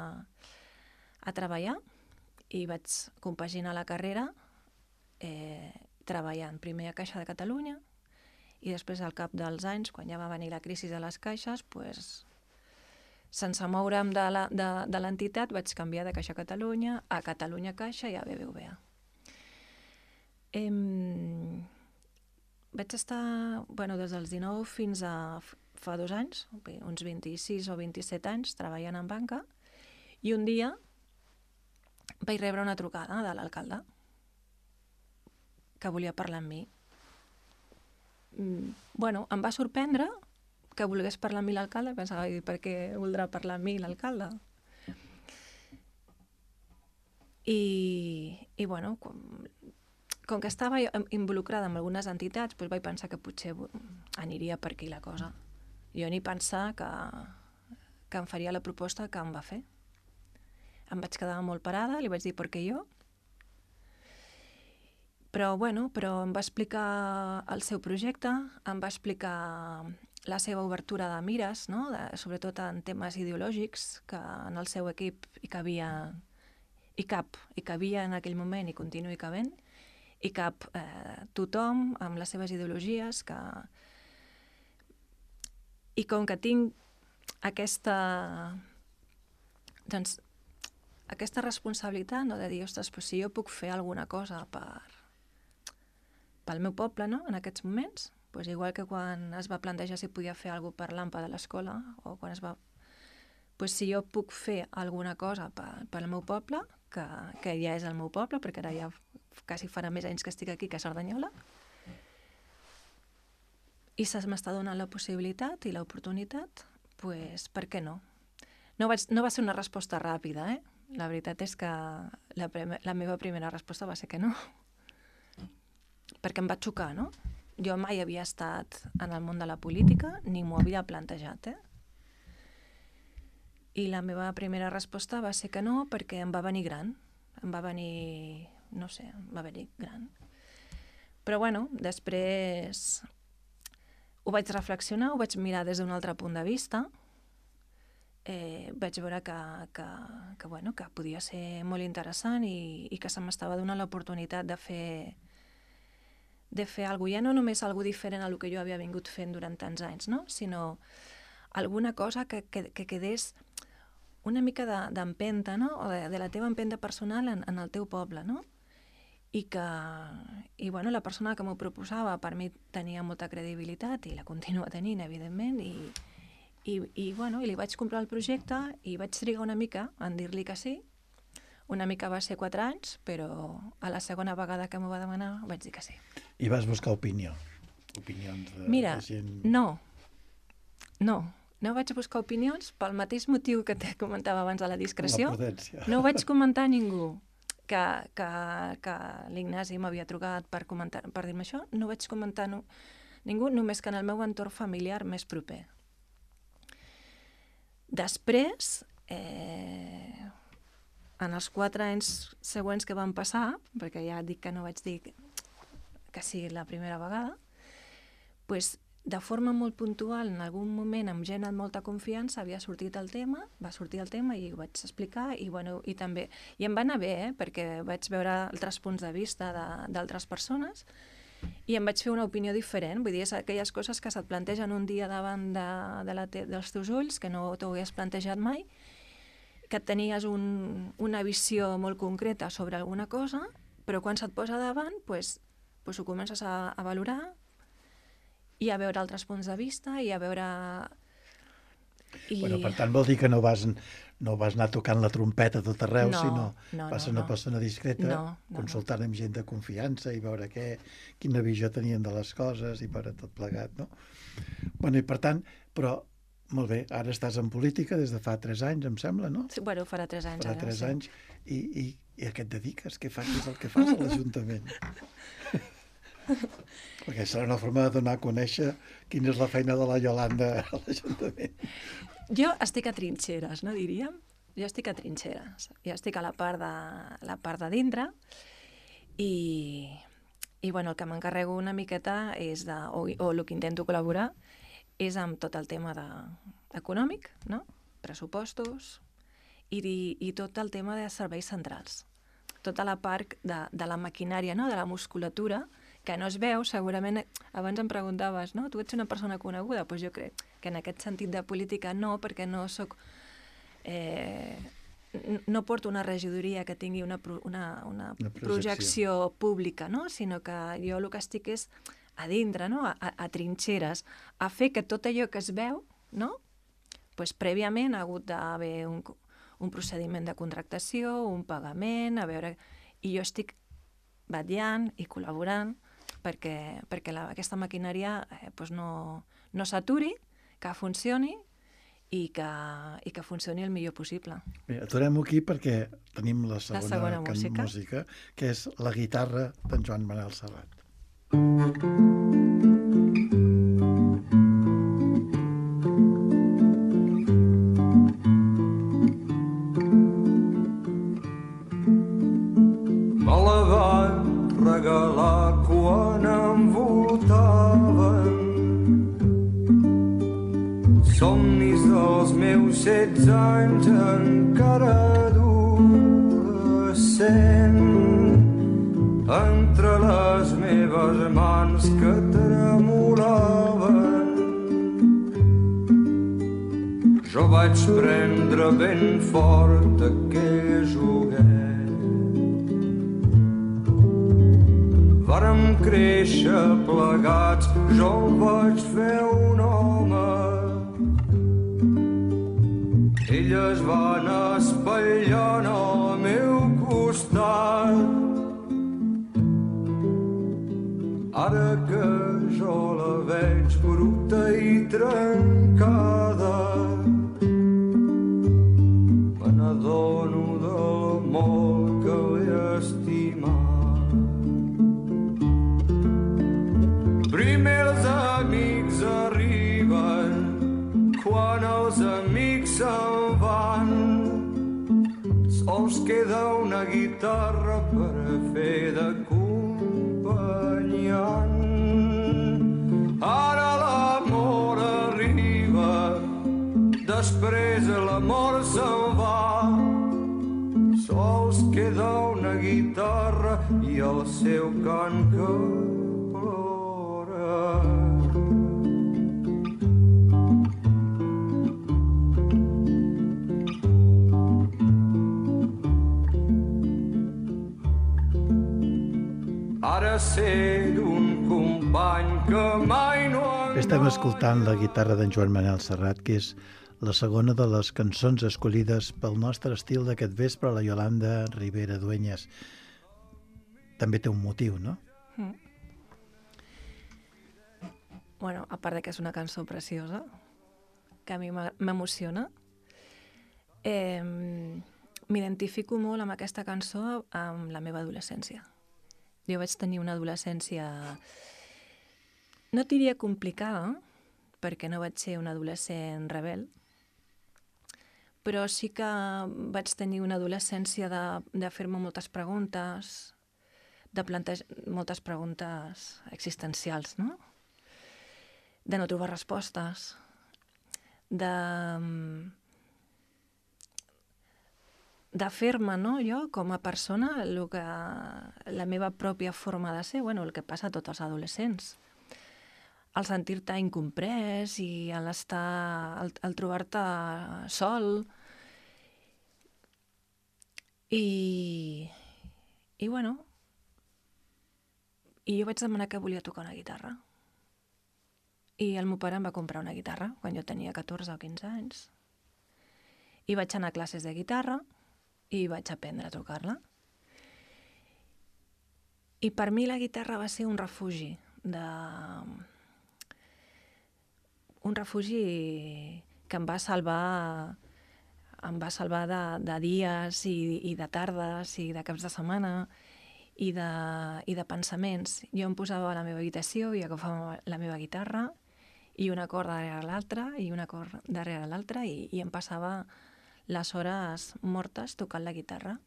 a treballar i vaig compaginar la carrera eh, treballant primer a Caixa de Catalunya i després al cap dels anys, quan ja va venir la crisi de les caixes, pues, sense moure'm de, la, de, de l'entitat vaig canviar de Caixa Catalunya a Catalunya Caixa i a B B V A. Em... Vaig estar, bueno, des dels dinou fins a fa dos anys, uns vint-i-sis o vint-i-set anys, treballant en banca, i un dia vaig rebre una trucada de l'alcalde que volia parlar amb mi. Mm, bueno, em va sorprendre que volgués parlar amb mi l'alcalde, pensava, per què voldrà parlar amb mi l'alcalde? I, i bueno, com, com que estava involucrada en algunes entitats, doncs vaig pensar que potser aniria per aquí la cosa. Jo ni pensar que, que em faria la proposta que em va fer. Em vaig quedar molt parada, li vaig dir per què jo. Però, bueno, però em va explicar el seu projecte, em va explicar la seva obertura de mires, no? de, sobretot en temes ideològics, que en el seu equip hi cabia, hi cap, hi cabia en aquell moment i continua cabent, hi cap eh, tothom amb les seves ideologies, que... i com que tinc aquesta, doncs, aquesta responsabilitat, no? de dir, ostres, però si jo puc fer alguna cosa per, pel meu poble, no? en aquests moments, pues igual que quan es va plantejar si podia fer alguna cosa per l'A M P A de l'escola, o quan es va... Pues si jo puc fer alguna cosa per, per al meu poble, que, que ja és el meu poble, perquè ara ja quasi farà més anys que estic aquí que a Cerdanyola, i se m'està donant la possibilitat i l'oportunitat, pues per què no? No, vaig, no va ser una resposta ràpida, eh? La veritat és que la, prime, la meva primera resposta va ser que no. Perquè em va xocar, no? Jo mai havia estat en el món de la política, ni m'ho havia plantejat, eh? I la meva primera resposta va ser que no, perquè em va venir gran. Em va venir... no sé, em va venir gran. Però bueno, després... ho vaig reflexionar, ho vaig mirar des d'un altre punt de vista, eh, vaig veure que, que, que, bueno, que podia ser molt interessant i, i que se m'estava donant l'oportunitat de fer de fer alguna cosa, ja no només alguna diferent a el que jo havia vingut fent durant tants anys, no? Sinó alguna cosa que, que, que quedés una mica d'empenta, no? O de, de la teva empenta personal en, en el teu poble, no? I que i, bueno, la persona que m'ho proposava per mi tenia molta credibilitat i la continua tenint, evidentment, i, i, i, bueno, i li vaig comprar el projecte i vaig trigar una mica en dir-li que sí. Una mica va ser quatre anys, però a la segona vegada que m'ho va demanar vaig dir que sí. I vas buscar opinió? Opinions de, Mira, de gent... no, no, no vaig buscar opinions pel mateix motiu que te comentava abans de la discreció. La prudència. No vaig comentar a ningú que, que, que l'Ignasi m'havia trucat per, comentar, per dir-me això. No vaig comentar no, ningú, només que en el meu entorn familiar més proper. Després, eh, en els quatre anys següents que van passar, perquè ja dic que no vaig dir que sigui la primera vegada, pues, de forma molt puntual, en algun moment, amb gent amb molta confiança, havia sortit el tema, va sortir el tema i ho vaig explicar, i, bueno, i també, i em va anar bé, eh, perquè vaig veure altres punts de vista d'altres persones, i em vaig fer una opinió diferent. Vull dir, és aquelles coses que se't plantegen un dia davant de, de la te dels teus ulls, que no t'ho hagués plantejat mai, que tenies un, una visió molt concreta sobre alguna cosa, però quan se't posa davant, pues, pues ho comences a, a valorar i a veure altres punts de vista i a veure... I... Bueno, per tant, vol dir que no vas, no vas anar tocant la trompeta a tot arreu, no, sinó no, vas ser no, una no. persona discreta, no, no, consultant no. amb gent de confiança i veure què, quina visió tenien de les coses i per a tot plegat, no? Bueno, i per tant, però, molt bé, ara estàs en política des de fa tres anys, em sembla, no? Sí, bueno, farà tres anys farà ara. tres sí. anys, i, i, i a què et dediques? Què fas? Què és el que fas a l'Ajuntament? Perquè serà una forma de donar a conèixer quina és la feina de la Iolanda a l'Ajuntament. Jo estic a trinxeres, no diríem? Jo estic a trinxeres. Jo estic a la part de, la part de dintre i, i bueno, el que m'encarrego una miqueta és de, o, o el que intento col·laborar és amb tot el tema de, econòmic, no? Pressupostos i, i tot el tema de serveis centrals. Tota la part de, de la maquinària, no? De la musculatura, que no es veu, segurament, abans em preguntaves, no? Tu ets una persona coneguda? Doncs jo crec que en aquest sentit de política no, perquè no soc... Eh, no porto una regidoria que tingui una, una, una, una projecció. projecció pública, no? Sinó que jo el que estic és a dintre, no? a, a trinxeres, a fer que tot allò que es veu, no? Pues, prèviament ha hagut d'haver un, un procediment de contractació, un pagament, a veure... I jo estic vetllant i col·laborant perquè, perquè la, aquesta maquinària eh, pues no, no s'aturi, que funcioni i que, i que funcioni el millor possible. Bé, aturem-ho aquí perquè tenim la segona, la segona música. música, que és la guitarra d'en Joan Manel Serrat. Me la van regalar quan em votaven, somnis dels meus setze anys encara adolescent, entre les meves mans que tremolaven. Jo vaig prendre ben fort aquell joguet. Vàrem créixer plegats, jo el vaig fer un home. Ella es va anar espatllant al meu costat. Ara que jo la veig bruta i trencada, me n'adono del molt que l'he estimat. Primer els amics arriben, quan els amics se'n van, sols queda una guitarra per fer d'acompanyant. Ara la després l'amor se'n va. Sols queda una guitarra i el seu cant que plora. Ara ser un company que mai no enganya. Estem escoltant la guitarra d'en Joan Manel Serrat, que és la segona de les cançons escollides pel nostre estil d'aquest vespre, la Iolanda Ribera Dueñas. També té un motiu, no? Mm. Bueno, a part de que és una cançó preciosa, que a mi m'emociona, eh, m'identifico molt amb aquesta cançó amb la meva adolescència. Jo vaig tenir una adolescència, no diria complicada, perquè no vaig ser un adolescent rebel, però sí que vaig tenir una adolescència de, de fer-me moltes preguntes, de plantejar moltes preguntes existencials, no? De no trobar respostes, de... de fer-me, no, jo, com a persona, el que, la meva pròpia forma de ser, bueno, el que passa a tots els adolescents. El sentir-te incomprès i el, estar, el, el trobar-te sol. I, i, bueno, i jo vaig demanar que volia tocar una guitarra. I el meu pare em va comprar una guitarra quan jo tenia catorze o quinze anys. I vaig anar a classes de guitarra, i vaig aprendre a tocar-la. I per mi la guitarra va ser un refugi, de... un refugi que em va salvar, em va salvar de, de dies i, i de tardes i de caps de setmana i de, i de pensaments. Jo em posava a la meva habitació i agafava la meva guitarra i un acord darrere l'altre i un acord darrere l'altre i, i em passava les hores mortes tocant la guitarra.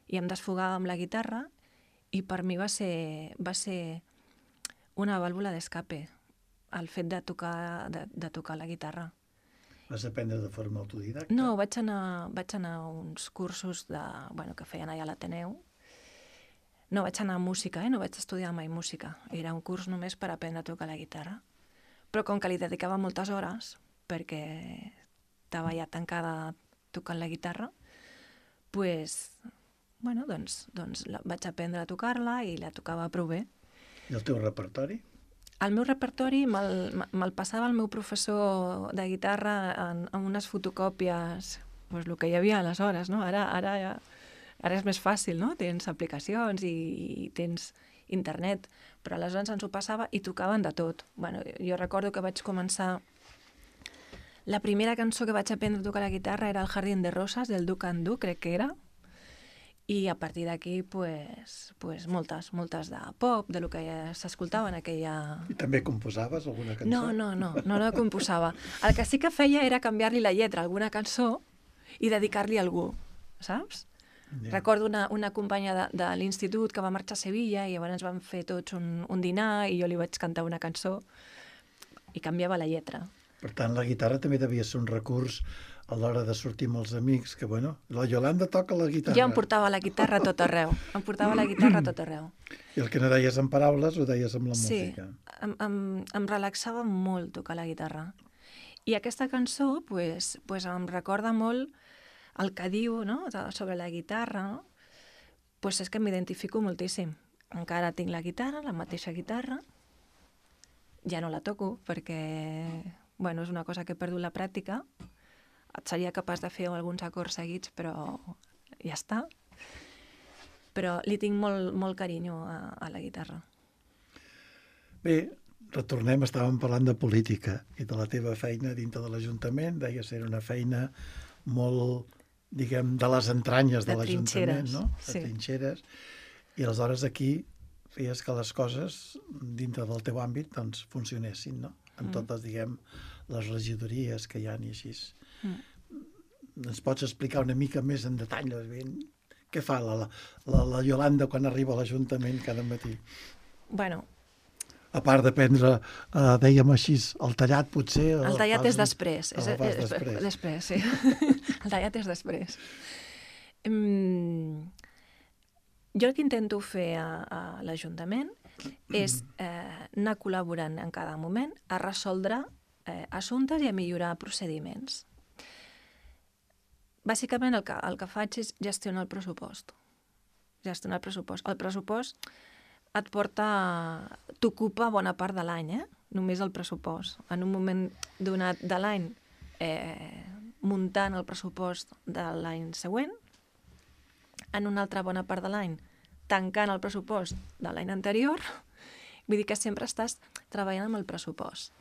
I em desfogava amb la guitarra i per mi va ser, va ser una vàlvula d'escape, el fet de tocar, de, de tocar la guitarra. Vas aprendre de forma autodidacta? No, vaig anar, vaig anar a uns cursos de, bueno, que feien allà a l'Ateneu. No vaig anar a música, eh? No vaig estudiar mai música. Era un curs només per aprendre a tocar la guitarra. Però com que li dedicava moltes hores, perquè estava ja tancada tocant la guitarra, pues, bueno, doncs, doncs la, vaig aprendre a tocar-la i la tocava prou bé. I el teu repertori? El meu repertori me'l me passava el meu professor de guitarra en, en unes fotocòpies, pues, el que hi havia aleshores, no? Ara, ara, ja, ara és més fàcil, no? Tens aplicacions i, i tens internet, però aleshores ens ho passava i tocaven de tot. Bueno, jo recordo que vaig començar... La primera cançó que vaig aprendre a tocar la guitarra era El Jardín de Rosas, del Du Can Du, crec que era. I a partir d'aquí, pues, pues moltes, moltes de pop, de lo que s'escoltava en aquella... I també composaves alguna cançó? No, no, no, no, no composava. El que sí que feia era canviar-li la lletra a alguna cançó i dedicar-li a algú, saps? Yeah. Recordo una, una companya de, de l'institut que va marxar a Sevilla i llavors vam fer tots un, un dinar i jo li vaig cantar una cançó i canviava la lletra. Per tant, la guitarra també devia ser un recurs a l'hora de sortir amb els amics, que, bueno, la Iolanda toca la guitarra. Jo em portava la guitarra a tot arreu. Em portava la guitarra a tot arreu. I el que no deies en paraules ho deies amb la sí, música. Sí, em, em, em relaxava molt tocar la guitarra. I aquesta cançó, pues, pues em recorda molt el que diu, no?, sobre la guitarra, no? Pues és que m'identifico moltíssim. Encara tinc la guitarra, la mateixa guitarra. Ja no la toco perquè... Bueno, és una cosa que he perdut la pràctica. Seria capaç de fer alguns acords seguits, però ja està. Però li tinc molt, molt carinyo a, a la guitarra. Bé, retornem, estàvem parlant de política i de la teva feina dintre de l'Ajuntament. Deies que era una feina molt, diguem, de les entranyes de, de l'Ajuntament, no? De sí. Trinxeres. I aleshores aquí feies que les coses dintre del teu àmbit doncs, funcionessin, no? En mm. totes, diguem, les regidories que hi ha i així. Mm. Ens pots explicar una mica més en detall? Què fa la, la, la Iolanda quan arriba a l'Ajuntament cada matí? Bueno, a part de prendre, uh, dèiem així, el tallat potser... El tallat és després. El és, fas és, després. Després, sí. El tallat és després. Um, jo el que intento fer a, a l'Ajuntament és eh, anar col·laborant en cada moment a resoldre eh, assumptes i a millorar procediments. Bàsicament el que, el que faig és gestionar el pressupost. Gestionar el pressupost. El pressupost et porta... t'ocupa bona part de l'any, eh? Només el pressupost. En un moment donat de l'any, eh, muntant el pressupost de l'any següent, en una altra bona part de l'any, tancant el pressupost de l'any anterior, vull dir que sempre estàs treballant amb el pressupost.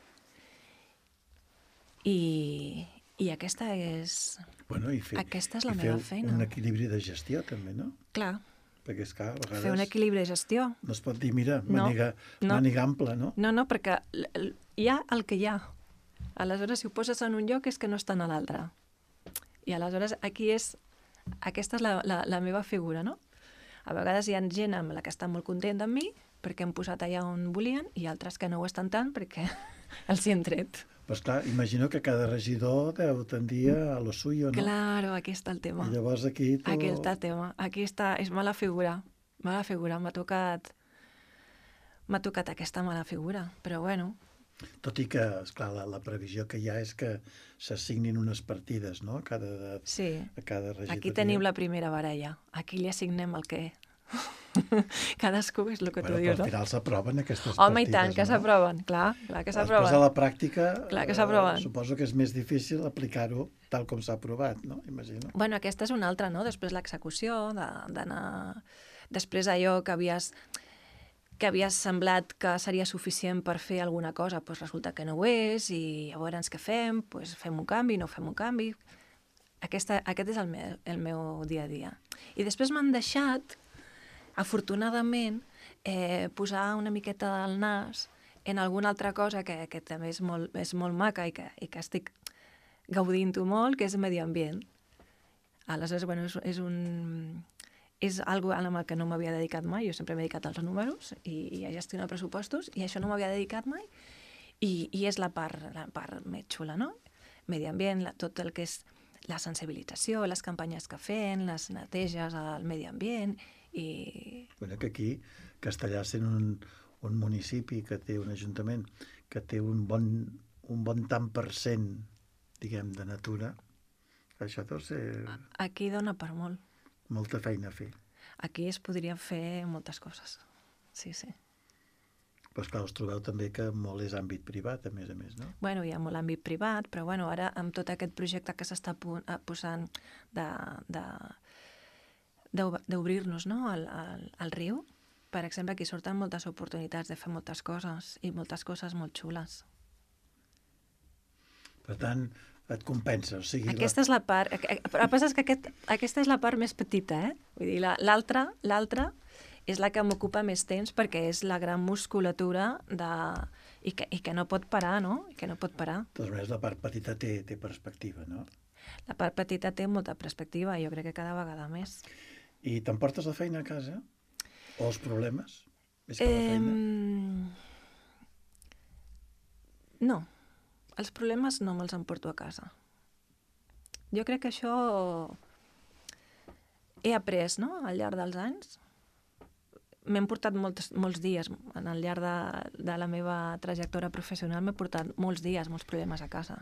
I, i aquesta és... Bueno, i fer, aquesta és la i meva fer feina. un equilibri de gestió, també, no? Clar. Perquè, és clar, a vegades... Fer un equilibri de gestió. No es pot dir, mira, No, màniga, no. màniga ampla, no? No, no, perquè l- l- hi ha el que hi ha. Aleshores, si ho poses en un lloc és que no està en l'altre. I aleshores aquí és... Aquesta és la, la, la meva figura, no? A vegades hi ha gent amb la que està molt contenta amb mi perquè hem posat allà on volien i altres que no ho estan tant perquè els hi hem tret. Però, esclar, imagino que cada regidor deu tendir a lo suyo, no? Claro, aquí està el tema. I llavors aquí... Tu... Aquí està el tema. Aquí està... És mala figura. Mala figura. M'ha tocat... M'ha tocat aquesta mala figura. Però bueno... Tot i que, esclar, la, la previsió que hi ha és que s'assignin unes partides, no? A cada, de, Sí. a cada regidoria. Aquí tenim la primera baralla. Aquí li assignem el què. Cadascú és el que Bueno, tu però dius, al no? final s'aproven aquestes Home, partides, i tant, que no? s'aproven. Clar, clar que Després a s'aproven. la pràctica, Clar que eh, s'aproven. suposo que és més difícil aplicar-ho tal com s'ha aprovat, no? Imagino. Bueno, aquesta és una altra, no? Després l'execució, de- d'anar... Després allò que havies que havies semblat que seria suficient per fer alguna cosa, doncs resulta que no ho és, i llavors què fem? Doncs fem un canvi, no fem un canvi. Aquesta, aquest és el meu, el meu dia a dia. I després m'han deixat, afortunadament, eh, posar una miqueta del nas en alguna altra cosa que, que també és molt, és molt maca i que, i que estic gaudint-ho molt, que és medi ambient. Aleshores, bueno, és, és un... és algo amb el que no m'havia dedicat mai. Jo sempre m'he dedicat als números i, i a gestionar pressupostos, i això no m'havia dedicat mai, i, i és la part, la part més xula, no? Medi ambient, la, tot el que és la sensibilització, les campanyes que fem, les neteges al medi ambient, i... Bueno, que aquí, Castellar sent un, un municipi que té un ajuntament que té un bon, un bon tant per cent, diguem, de natura, això deu ser Aquí dona per molt. molta feina a fer. Aquí es podrien fer moltes coses. Sí, sí. Però, esclar, us trobeu també que molt és àmbit privat, a més a més, no? Bueno, hi ha molt àmbit privat, però bueno, ara amb tot aquest projecte que s'està pu- eh, posant de, de, d'ob- d'obrir-nos, no, al, al, al riu, per exemple, aquí surten moltes oportunitats de fer moltes coses, i moltes coses molt xules. Per tant, et compensa, o sigui... Aquesta és la part... eh, eh, Però el que passa és que aquest, aquesta és la part més petita, eh? Vull dir, la- l'altra, l'altra és la que m'ocupa més temps perquè és la gran musculatura de... I que, i que no pot parar, no? I que no pot parar. De totes maneres, la part petita té, té perspectiva, no? La part petita té molta perspectiva, jo crec que cada vegada més. I t'emportes la feina a casa? O els problemes? Més que la feina? Em, No, els problemes no me'ls emporto a casa. Jo crec que això he après, no?, al llarg dels anys. M'hem portat molts, molts dies, en el llarg de, de la meva trajectòria professional m'he portat molts dies, molts problemes a casa.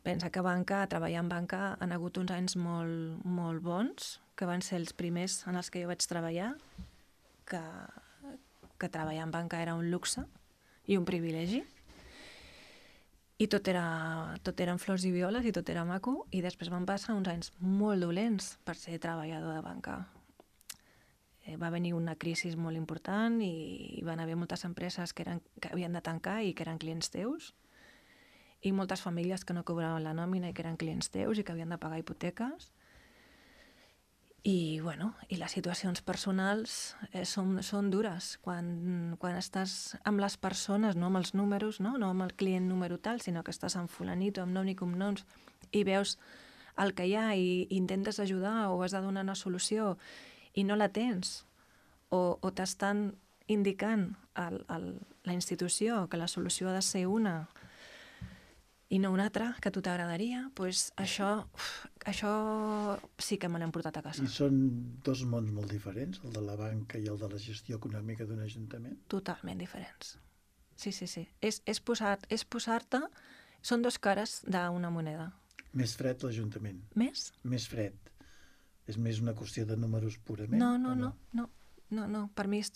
Pensa que banca, treballar en banca, han hagut uns anys molt, molt bons, que van ser els primers en els que jo vaig treballar, que, que treballar en banca era un luxe i un privilegi. I tot era, tot eren flors i violes i tot era maco, i després van passar uns anys molt dolents per ser treballador de banca. Eh, va venir una crisi molt important i hi van haver moltes empreses que, eren, que havien de tancar i que eren clients teus, i moltes famílies que no cobraven la nòmina i que eren clients teus i que havien de pagar hipoteques. I, bueno, i les situacions personals eh, són, són dures. Quan, quan estàs amb les persones, no amb els números, no? No amb el client número tal, sinó que estàs amb fulanito, amb nom i cognoms, i veus el que hi ha i, i intentes ajudar o has de donar una solució i no la tens, o, o t'estan indicant el, el, la institució que la solució ha de ser una i no una altra, que a tu t'agradaria, doncs això, uf, això sí que me l'hem portat a casa. I són dos mons molt diferents, el de la banca i el de la gestió econòmica d'un ajuntament? Totalment diferents. Sí, sí, sí. És, és posar, és posar-te... Són dos cares d'una moneda. Més fred l'Ajuntament? Més? Més fred. És més una qüestió de números purament? No, no, no, no, no, no. Per mi, és...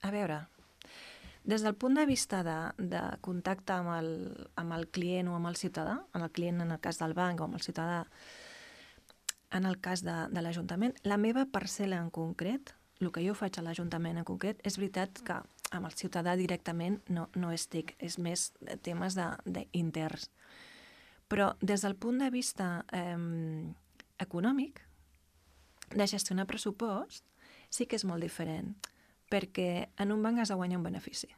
a veure, des del punt de vista de, de contacte amb el, amb el client o amb el ciutadà, amb el client en el cas del banc o amb el ciutadà en el cas de, de l'Ajuntament, la meva parcel·la en concret, el que jo faig a l'Ajuntament en concret, és veritat que amb el ciutadà directament no, no estic, és més temes d'interns. Però des del punt de vista eh, econòmic, de gestionar pressupost, sí que és molt diferent, perquè en un banc has de guanyar un benefici.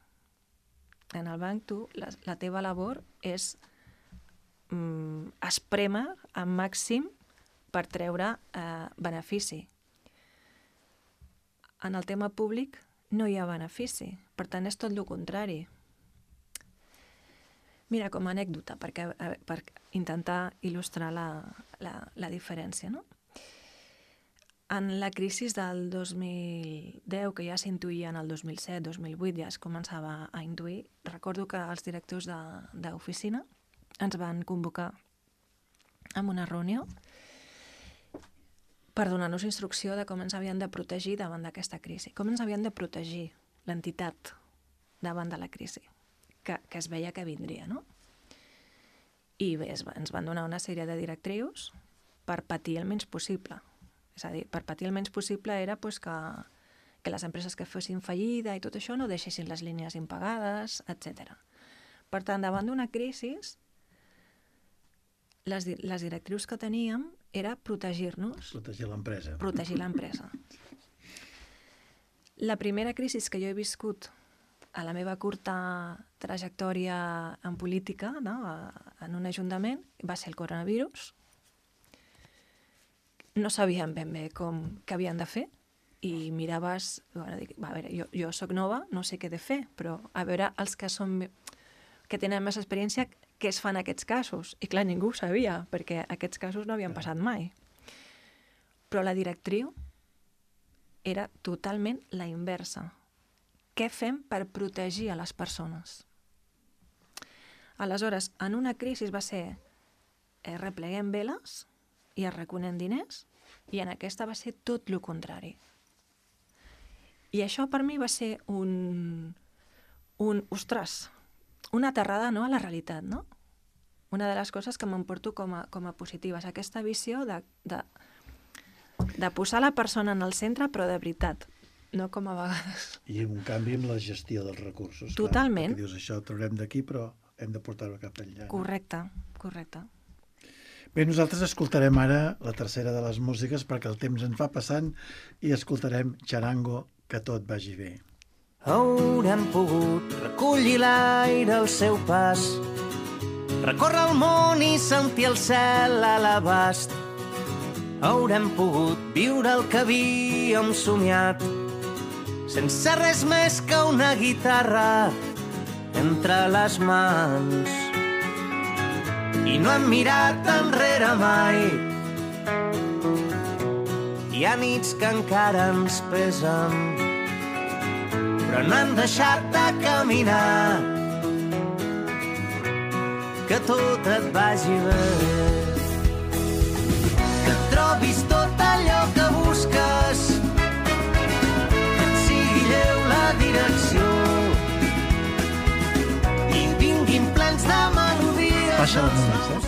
En el banc tu, la, la teva labor és mm, esprémer al màxim per treure eh, benefici. En el tema públic no hi ha benefici, per tant és tot el contrari. Mira, com a anècdota, perquè, per intentar il·lustrar la, la, la diferència, no? En la crisi del dos mil deu, que ja s'intuïa en el dos mil set, dos mil vuit, ja es començava a intuir, recordo que els directors d'oficina ens van convocar en una reunió per donar-nos instrucció de com ens havien de protegir davant d'aquesta crisi, com ens havien de protegir l'entitat davant de la crisi, que, que es veia que vindria, no? I bé, ens van donar una sèrie de directrius per patir el menys possible. És a dir, per patir el menys possible era pues, que, que les empreses que fessin fallida i tot això no deixessin les línies impagades, etcètera. Per tant, davant d'una crisi, les, les directrius que teníem era protegir-nos. Protegir l'empresa. Protegir l'empresa. La primera crisi que jo he viscut a la meva curta trajectòria en política, no, en un ajuntament, va ser el coronavirus. No sabíem ben bé com, què havien de fer i miraves, bueno, dic, a veure, jo, jo soc nova, no sé què he de fer, però a veure els que, són, que tenen més experiència, què es fan aquests casos? I clar, ningú ho sabia, perquè aquests casos no havien passat mai. Però la directriu era totalment la inversa. Què fem per protegir a les persones? Aleshores, en una crisi va ser eh, repleguem veles i es reconen diners, i en aquesta va ser tot el contrari. I això per mi va ser un, un ostres, una aterrada, no, a la realitat, no? Una de les coses que m'emporto com a, com a positives, aquesta visió de, de, de posar la persona en el centre, però de veritat, no com a vegades. I un canvi amb la gestió dels recursos. Totalment. Clar, dius, això ho traurem d'aquí, però hem de portar-ho cap enllà. Correcte, correcte. Bé, nosaltres escoltarem ara la tercera de les músiques perquè el temps en fa passant i escoltarem Charango, que tot vagi bé. Haurem pogut recollir l'aire al seu pas, recórrer el món i sentir el cel a l'abast. Haurem pogut viure el que havíem somiat, sense res més que una guitarra entre les mans. I no hem mirat enrere mai. Hi ha nits que encara ens pesen, però no hem deixat de caminar. Que tot et vagi bé, que trobis tot allò que busques, que et sigui lleu la direcció i vinguin plens de melodies. Passa els moments, eh?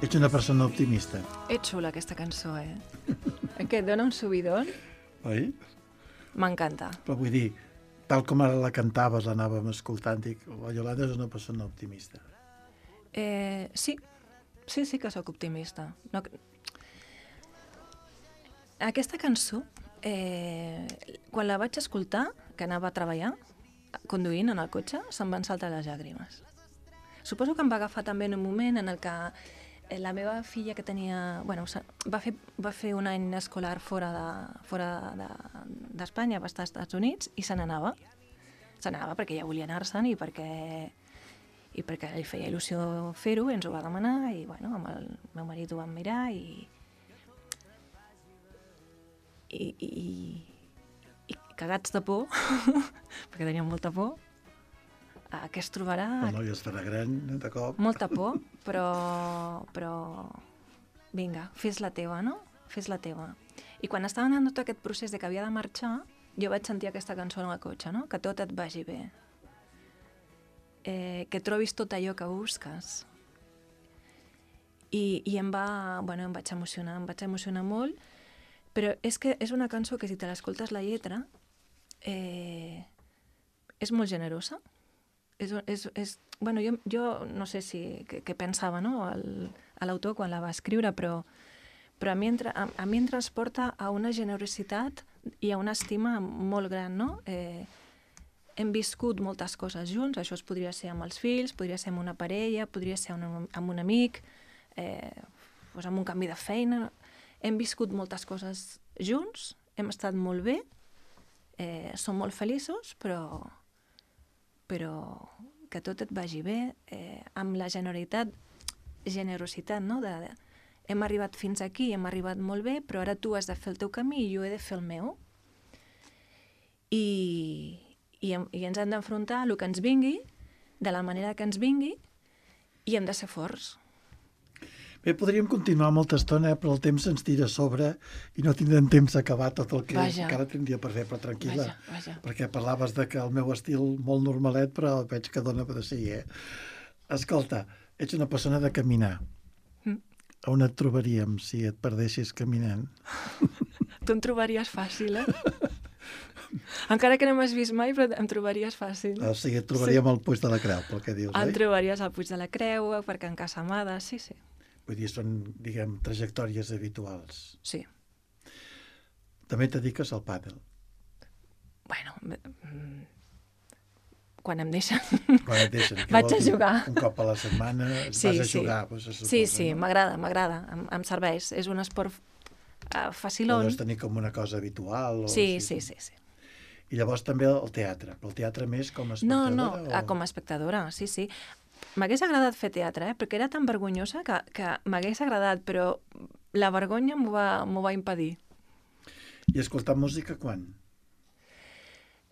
Ets una persona optimista. Ets xula aquesta cançó, eh? Que et dona un subidon. Oi? M'encanta. Però vull dir, tal com ara la cantaves, l'anàvem escoltant, dic, la Iolanda és una persona optimista. Eh, sí, sí, sí que sóc optimista. No... Aquesta cançó, eh, quan la vaig escoltar, que anava a treballar, conduint en el cotxe, se'm van saltar les llàgrimes. Suposo que em va agafar també en un moment en el que la meva filla que tenia... Bueno, va fer, va fer un any escolar fora de, fora d'Espanya, de, va estar als Estats Units i se n'anava. Se n'anava perquè ja volia anar-se'n i perquè, i perquè li feia il·lusió fer-ho, ens ho va demanar i bueno, amb el meu marit ho vam mirar i i, i, i cagats de por, perquè teníem molta por, eh, que es trobarà... El noi es farà gran, de cop. Molta por, però, però vinga, fes la teva, no? Fes la teva. I quan estava anant tot aquest procés de que havia de marxar, jo vaig sentir aquesta cançó en el cotxe, no? Que tot et vagi bé. Eh, que trobis tot allò que busques. I, i em va... Bueno, em vaig emocionar, em vaig emocionar molt, però és que és una cançó que si te l'escoltes la lletra eh, és molt generosa. És, és, és, bueno, jo, jo no sé si què, què pensava, no? l'autor quan la va escriure, però, però a, mi entra, a, a mi em transporta a una generositat i a una estima molt gran, no? Eh, hem viscut moltes coses junts, això es podria ser amb els fills, podria ser amb una parella, podria ser amb, amb un amic, eh, doncs amb un canvi de feina. Hem viscut moltes coses junts, hem estat molt bé, eh, som molt feliços, però, però que tot et vagi bé, eh, amb la generositat, generositat, no? De, de, hem arribat fins aquí, hem arribat molt bé, però ara tu has de fer el teu camí i jo he de fer el meu. I, i, i ens hem d'enfrontar a el que ens vingui, de la manera que ens vingui, i hem de ser forts. Bé, podríem continuar molta estona, eh, però el temps ens tira a sobre i no tindrem temps d'acabar tot el que vaja. encara tindria per fer, però tranquil·la, vaja, vaja. perquè parlaves de que el meu estil molt normalet, però veig que dona per si, eh? Escolta, ets una persona de caminar. Mm. On et trobaríem si et perdessis caminant? Tu em trobaries fàcil, eh? Encara que no m'has vist mai, però em trobaries fàcil. O sigui, et trobaríem sí. al Puig de la Creu, pel que dius, em oi? trobaries al Puig de la Creu, per Can Casamada, sí, sí. Vull dir, són, diguem, trajectòries habituals. Sí. També et dediques al pàdel. Bueno, quan em deixen. Quan et deixen. Vaig a jugar. Un cop a la setmana sí, vas a sí. jugar, doncs, se suposa, sí, sí, no? m'agrada, m'agrada, em, em serveix. És un esport uh, facilón. Ho deus tenir com una cosa habitual. O sí, sí, sí, sí, sí. I llavors també el teatre, però el teatre més com a espectadora? No, no, o... com a espectadora, sí, sí. M'hagués agradat fer teatre, eh? Perquè era tan vergonyosa que, que m'hagués agradat, però la vergonya m'ho va, m'ho va impedir. I escoltar música quan?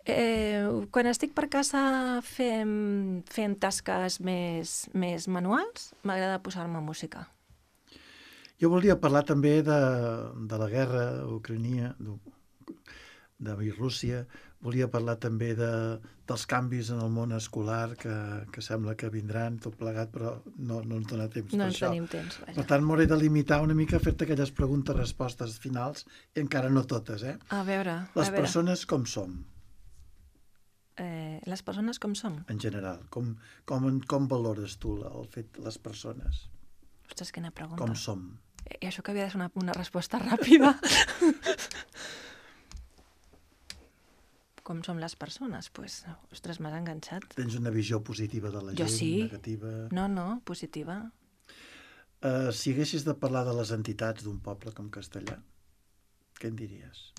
Eh, quan estic per casa fent, fent tasques més, més manuals, m'agrada posar-me música. Jo volia parlar també de, de la guerra ucrania, de, de Rússia. Volia parlar també de, dels canvis en el món escolar que, que sembla que vindran tot plegat, però no, no ens dona temps no per ens això. tenim temps, vaja. Per tant, m'hauré de limitar una mica a fer-te aquelles preguntes-respostes finals, i encara no totes, eh? A veure, Les a veure. persones com som? Eh, les persones com som? En general. Com, com, com valores tu el fet de les persones? Ostres, quina pregunta. Com som? I això que havia de ser una, una resposta ràpida. Com som les persones? Pues, ostres, m'has enganxat. Tens una visió positiva de la jo gent, sí. negativa? No, no, positiva. Uh, si haguessis de parlar de les entitats d'un poble com Castellà, què en diries?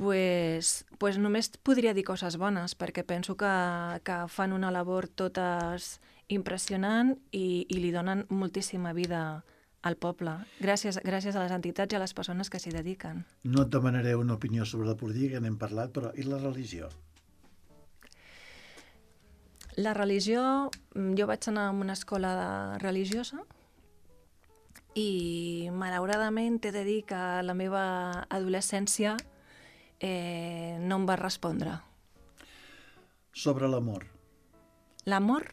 Pues, pues només podria dir coses bones, perquè penso que, que fan una labor totes impressionant i, i li donen moltíssima vida al poble, gràcies, gràcies a les entitats i a les persones que s'hi dediquen. No et demanaré una opinió sobre la política, n'hem parlat, però i la religió? La religió, jo vaig anar a una escola religiosa i malauradament t'he de dir que la meva adolescència eh, no em va respondre. Sobre l'amor. L'amor?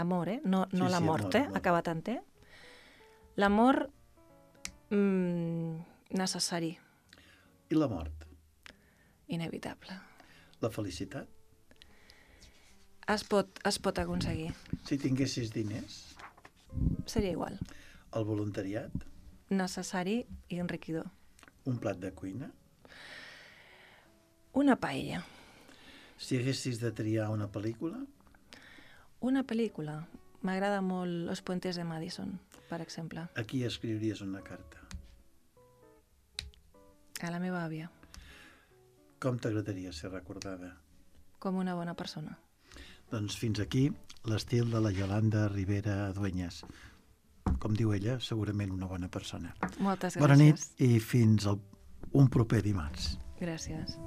Amor, eh? No, no Sí, la sí, mort, amor, eh? amor. Acabat en T. L'amor mm, necessari, I la mort? inevitable. La felicitat? Es pot, es pot aconseguir. Si tinguessis diners? Seria igual. El voluntariat? Necessari i enriquidor. Un plat de cuina? Una paella. Si haguessis de triar una pel·lícula? Una pel·lícula. m'agrada molt Los Puentes de Madison, per exemple. A qui escriuries una carta? A la meva àvia, Com t'agradaria ser recordada? com una bona persona. Doncs fins aquí l'estil de la Yolanda Ribera Dueñas. Com diu ella, segurament una bona persona. Moltes gràcies. Bona nit i fins al, un proper dimarts. Gràcies.